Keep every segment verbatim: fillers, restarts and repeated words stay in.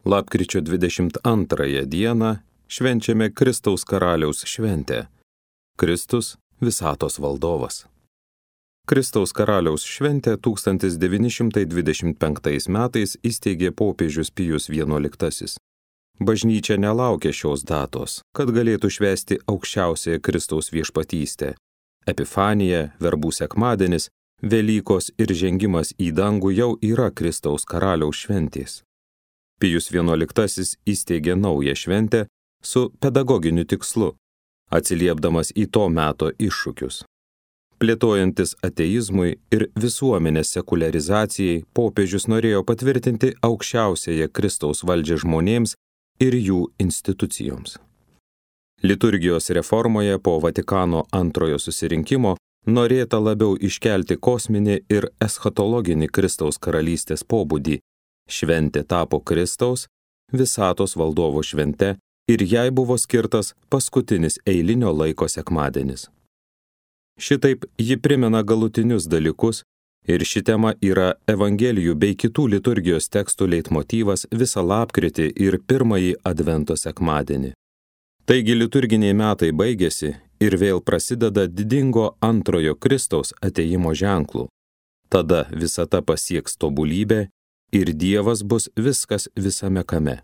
Lapkričio dvidešimt antrąją dieną švenčiame Kristaus karaliaus šventę. Kristus visatos valdovas. Kristaus karaliaus šventę tūkstantis devyni šimtai dvidešimt penktais metais įsteigė popiežius Pijus vienuoliktasis. Bažnyčia nelaukė šios datos, kad galėtų švęsti aukščiausiąją Kristaus viešpatystę. Epifanija, verbų sekmadienis, Velykos ir žengimas į dangų jau yra Kristaus karaliaus šventės. Pijus vienuoliktasis įsteigė naują šventę su pedagoginiu tikslu, atsiliepdamas į to meto iššūkius. Plėtojantis ateizmui ir visuomenės sekuliarizacijai, popiežius norėjo patvirtinti aukščiausiąją Kristaus valdžią žmonėms ir jų institucijoms. Liturgijos reformoje po Vatikano antrojo susirinkimo norėta labiau iškelti kosminį ir eschatologinį Kristaus karalystės pobūdį. Šventė tapo Kristaus, visatos valdovo švente ir jai buvo skirtas paskutinis eilinio laiko sekmadienis. Šitaip ji primena galutinius dalykus ir ši tema yra Evangelijų bei kitų liturgijos tekstų leitmotyvas visą lapkritį ir pirmąjį advento sekmadienį. Taigi liturginiai metai baigėsi ir vėl prasideda didingo antrojo Kristaus atėjimo ženklų. Tada visata pasieks tobulybę ir Dievas bus viskas visame kame.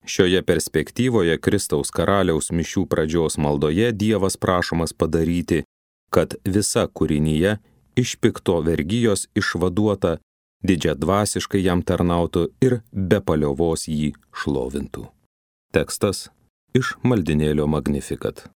Šioje perspektyvoje Kristaus karaliaus mišių pradžios maldoje Dievas prašomas padaryti, kad visa kūrinyje iš pikto vergijos išvaduota didžiadvasiškai jam tarnautų ir be paliovos jį šlovintų. Tekstas iš maldinėlio Magnificat.